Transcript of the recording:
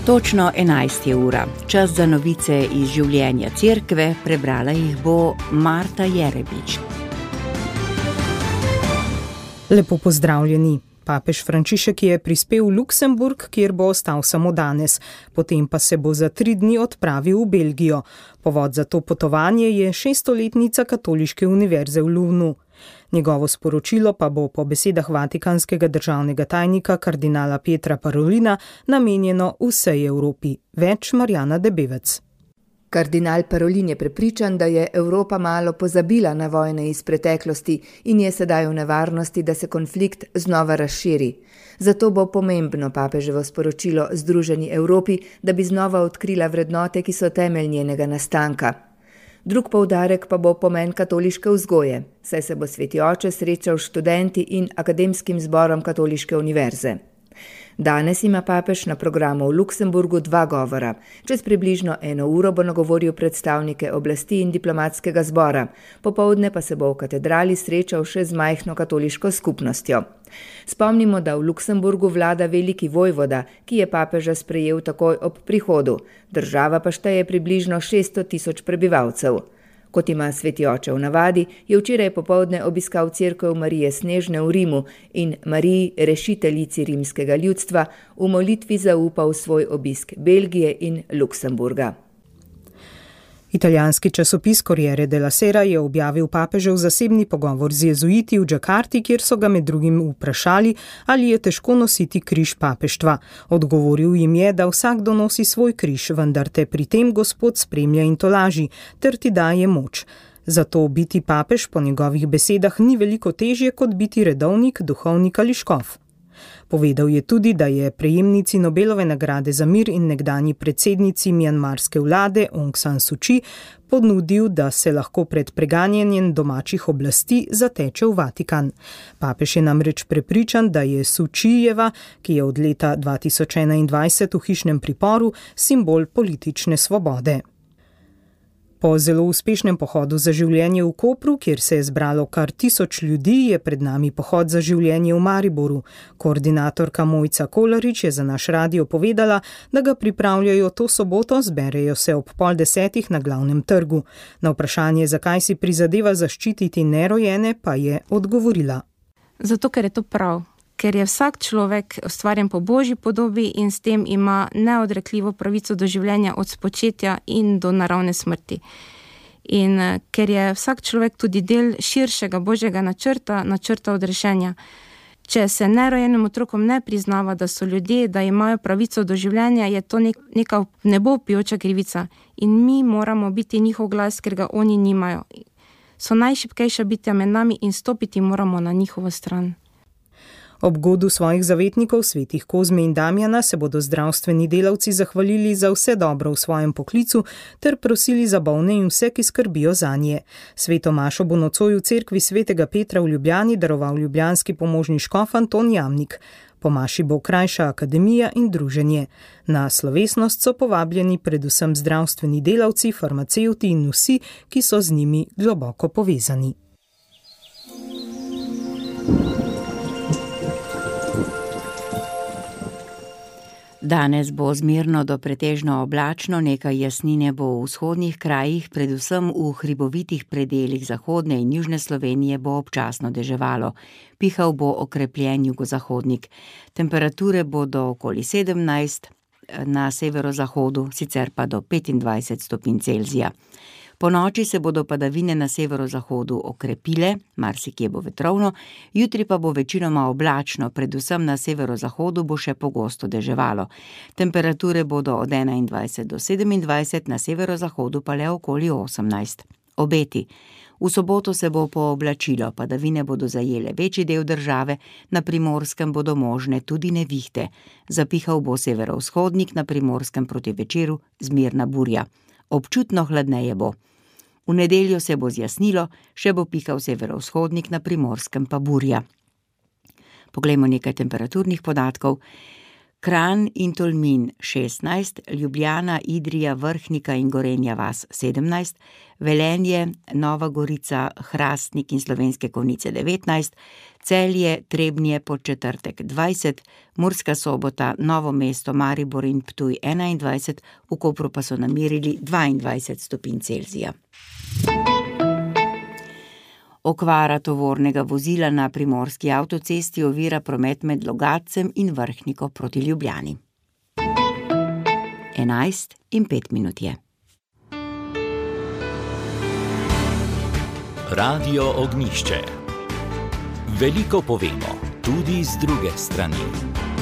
Točno 11 je ura. Čas za novice iz življenja cerkve, prebrala jih bo Marta Jerebič. Lepo pozdravljeni. Papež Frančišek je prispel v Luksemburg, kjer bo ostal samo danes, potem pa se bo za 3 dni odpravil v Belgijo. Povod za to potovanje je 600-letnica Katoliške univerze v Louvnu. Njegovo sporočilo pa bo po besedah vatikanskega državnega tajnika kardinala Pietra Parolina namenjeno vsej Evropi. Več Marjana Debevec. Kardinal Parolin je prepričan, da je Evropa malo pozabila na vojne iz preteklosti in je sedaj v nevarnosti, da se konflikt znova razširi. Zato bo pomembno papeževo sporočilo Združeni Evropi, da bi znova odkrila vrednote, ki so temelj njenega nastanka. Drug poudarek pa bo pomen katoliške vzgoje, saj se bo sveti oče srečal s študenti in akademskim zborom Katoliške univerze. Danes ima papež na programu v Luksemburgu 2 govora. Čez približno 1 uro bo nagovoril predstavnike oblasti in diplomatskega zbora, popoldne pa se bo v katedrali srečal še z majhno katoliško skupnostjo. Spomnimo, da v Luksemburgu vlada veliki vojvoda, ki je papeža sprejel takoj ob prihodu. Država pa šteje približno 600.000 prebivalcev. Kot ima sveti oče v navadi, je včeraj popoldne obiskal cerkev Marije Snežne v Rimu in Mariji, rešiteljici rimskega ljudstva, v molitvi zaupal svoj obisk Belgije in Luksemburga. Italijanski časopis Corriere della Sera je objavil papežev zasebni pogovor z jezuiti v Džakarti, kjer so ga med drugim vprašali, ali je težko nositi križ papeštva. Odgovoril jim je, da vsakdo nosi svoj križ, vendar te pri tem Gospod spremlja in tolaži, ter ti daje moč. Zato biti papež po njegovih besedah ni veliko težje, kot biti redovnik, duhovnik ali škof. Povedal je tudi, da je prejemnici Nobelove nagrade za mir in nekdanji predsednici mjanmarske vlade Aung San Suu Kyi ponudil, da se lahko pred preganjanjem domačih oblasti zateče v Vatikan. Papež je namreč prepričan, da je Suu Kyijeva, ki je od leta 2021 v hišnem priporu, simbol politične svobode. Po zelo uspešnem pohodu za življenje v Kopru, kjer se je zbralo kar 1000 ljudi, je pred nami pohod za življenje v Mariboru. Koordinatorka Mojca Kolarič je za naš radio povedala, da ga pripravljajo to soboto, zberejo se ob 9:30 na glavnem trgu. Na vprašanje, zakaj si prizadeva zaščititi nerojene, pa je odgovorila. Zato, ker je to prav. Ker je vsak človek ustvarjen po Božji podobi in s tem ima neodrekljivo pravico do življenja od spočetja in do naravne smrti. In ker je vsak človek tudi del širšega Božjega načrta odrešenja. Če se nerojenim otrokom ne priznava, da so ljudje, da imajo pravico do življenja, je to neka nebopijoča krivica. In mi moramo biti njihov glas, ker ga oni nimajo. So najšibkejša bitja med nami in stopiti moramo na njihovo stran. Ob godu svojih zavetnikov, svetih Kozme in Damjana, se bodo zdravstveni delavci zahvalili za vse dobro v svojem poklicu ter prosili za bolne in vse, ki skrbijo zanje. Sveto mašo bo nocoj v cerkvi svetega Petra v Ljubljani daroval ljubljanski pomožni škof Anton Jamnik. Po maši bo krajša akademija in druženje. Na slovesnost so povabljeni predvsem zdravstveni delavci, farmacevti in vsi, ki so z njimi globoko povezani. Danes bo zmerno do pretežno oblačno, nekaj jasnine bo v vzhodnih krajih, predvsem v hribovitih predelih zahodne in južne Slovenije bo občasno deževalo. Pihal bo okrepljen jugozahodnik. Temperature bodo okoli 17 na severozahodu, sicer pa do 25 stopinj Celzija. Po noči se bodo padavine na severozahodu okrepile, marsikje bo vetrovno, jutri pa bo večinoma oblačno, predvsem na severozahodu bo še pogosto deževalo. Temperature bodo od 21 do 27, na severozahodu pa le okoli 18. Obeti. V soboto se bo pooblačilo, padavine bodo zajele večji del države, na Primorskem bodo možne tudi nevihte. Zapihal bo severovzhodnik, na Primorskem proti večeru zmerna burja. Občutno hladneje bo. V nedeljo se bo zjasnilo, še bo pihal severovzhodnik, na Primorskem pa burja. Poglejmo nekaj temperaturnih podatkov. Kranj in Tolmin 16, Ljubljana, Idrija, Vrhnika in Gorenja vas 17, Velenje, Nova Gorica, Hrastnik in Slovenske Konjice 19, Celje, Trebnje, Podčetrtek 20, Murska Sobota, Novo mesto, Maribor in Ptuj 21, v Kopru pa so namerili 22 stopinj Celzija. Okvara tovornega vozila na primorski avtocesti ovira promet med Logatcem in Vrhniko proti Ljubljani. 11:05 je. Radio Ognjišče. Veliko povemo, tudi z druge strani.